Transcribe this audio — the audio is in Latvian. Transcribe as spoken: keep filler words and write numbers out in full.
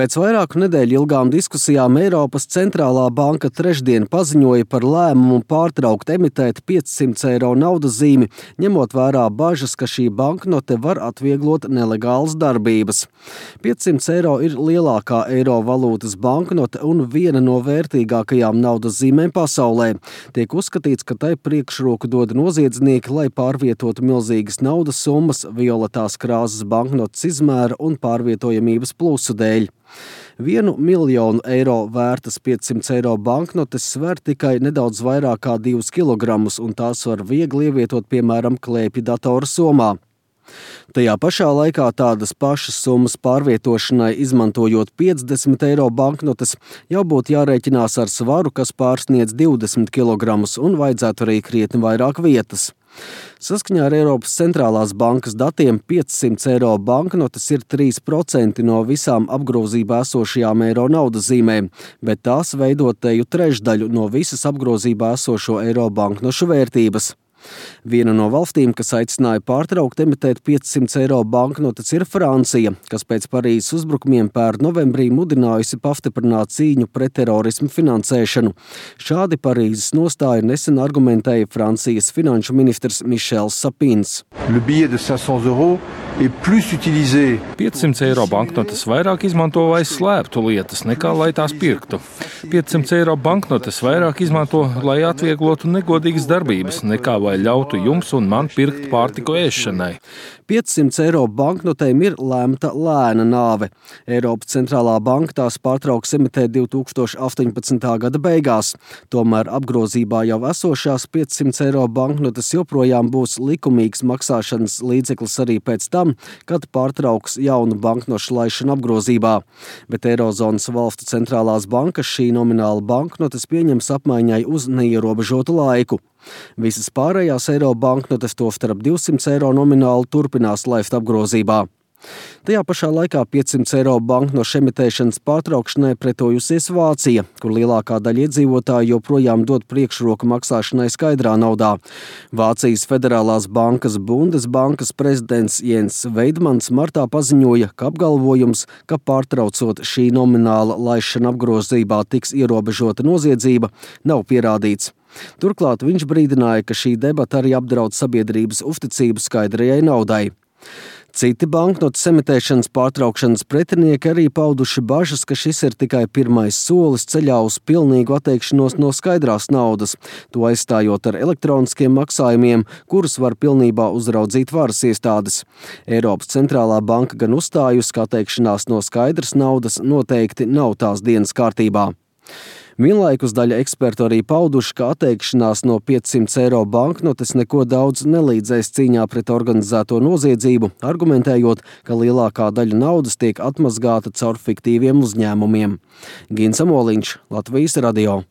Pēc vairāku nedēļu ilgām diskusijām Eiropas centrālā banka trešdien paziņoja par lēmumu pārtraukt emitēt piecsimt eiro naudas zīmi, ņemot vērā bažas, ka šī banknote var atvieglot nelegālas darbības. piecsimt eiro ir lielākā eiro valūtas banknote un viena no vērtīgākajām naudas zīmēm pasaulē. Tiek uzskatīts, ka tai priekšroku dod noziedznieki, lai pārvietotu milzīgas naudas summas violetās krāsas banknotes izmēra un pārvietojamības plusu dēļ. Vienu miljonu eiro vērtas piecsimt eiro banknotes sver tikai nedaudz vairāk kā divus kilogramus, un tās var viegli ievietot, piemēram, klēpju datora somā. Tajā pašā laikā tādas pašas summas pārvietošanai, izmantojot piecdesmit eiro banknotes, jau būtu jārēķinās ar svaru, kas pārsniedz divdesmit kilogramus, un vajadzētu arī krietni vairāk vietas. Saskaņā ar Eiropas centrālās bankas datiem piecsimt eiro banknotes ir trīs procenti no visām apgrozībā esošajām eiro naudas zīmēm, bet tās veido teju trešdaļu no visas apgrozībā esošo eiro banknošu vērtības. Viena no valstīm, kas aicināja pārtraukt emitēt piecsimt eiro banknotes, ir Francija, kas pēc Parīzes uzbrukumiem pērn novembrī mudinājusi pastiprināt cīņu pret terorismu finansēšanu. Šādi Parīzes nostāju nesen argumentēja Francijas finanšu ministrs Mišels Sapins. piecsimt eiro banknotes vairāk izmanto, lai slēptu lietas, nekā lai tās pirktu. piecsimt eiro banknotes vairāk izmanto, lai atvieglotu negodīgas darbības, nekā lai ļautu jums un man pirkt pārtiku ēšanai. piecsimt eiro banknotēm ir lemta lēna nāve. Eiropas centrālā banka tās pārtrauks emitēt divi tūkstoši astoņpadsmitā gada beigās. Tomēr apgrozībā jau esošās piecsimt eiro banknotes joprojām būs likumīgs maksāšanas līdzeklis arī pēc tam, kad pārtrauks jaunu banknošu laišanu apgrozībā. Bet Eirozonas valstu centrālās bankas šī nomināla banknotes pieņems apmaiņai uz neierobežotu laiku. Visas pārējās eiro banknotes, tostarp divsimt eiro nomināli, turpinās laist apgrozībā. Tajā pašā laikā piecsimt eiro banknošu emitēšanas pārtraukšanai pretojusies Vācija, kur lielākā daļa iedzīvotāju joprojām dod priekšroku maksāšanai skaidrā naudā. Vācijas federālās bankas Bundesbankas prezidents Jens Veidmans martā paziņoja, ka apgalvojums, ka pārtraucot šī nomināla laišana apgrozībā tiks ierobežota noziedzība, nav pierādīts. Turklāt viņš brīdināja, ka šī debata arī apdraud sabiedrības uzticību skaidrajai naudai. Citi banknotes emitēšanas pārtraukšanas pretinieki arī pauduši bažas, ka šis ir tikai pirmais solis ceļā uz pilnīgu atteikšanos no skaidrās naudas, to aizstājot ar elektroniskiem maksājumiem, kurus var pilnībā uzraudzīt varas iestādes. Eiropas centrālā banka gan uzstājusi, ka atteikšanās no skaidras naudas noteikti nav tās dienas kārtībā. Vienlaikus daļa ekspertu arī pauduši, ka atteikšanās no piecsimt eiro banknotes neko daudz nelīdzēs cīņā pret organizēto noziedzību, argumentējot, ka lielākā daļa naudas tiek atmazgāta caur fiktīviem uzņēmumiem. Gins Amoliņš, Latvijas radio.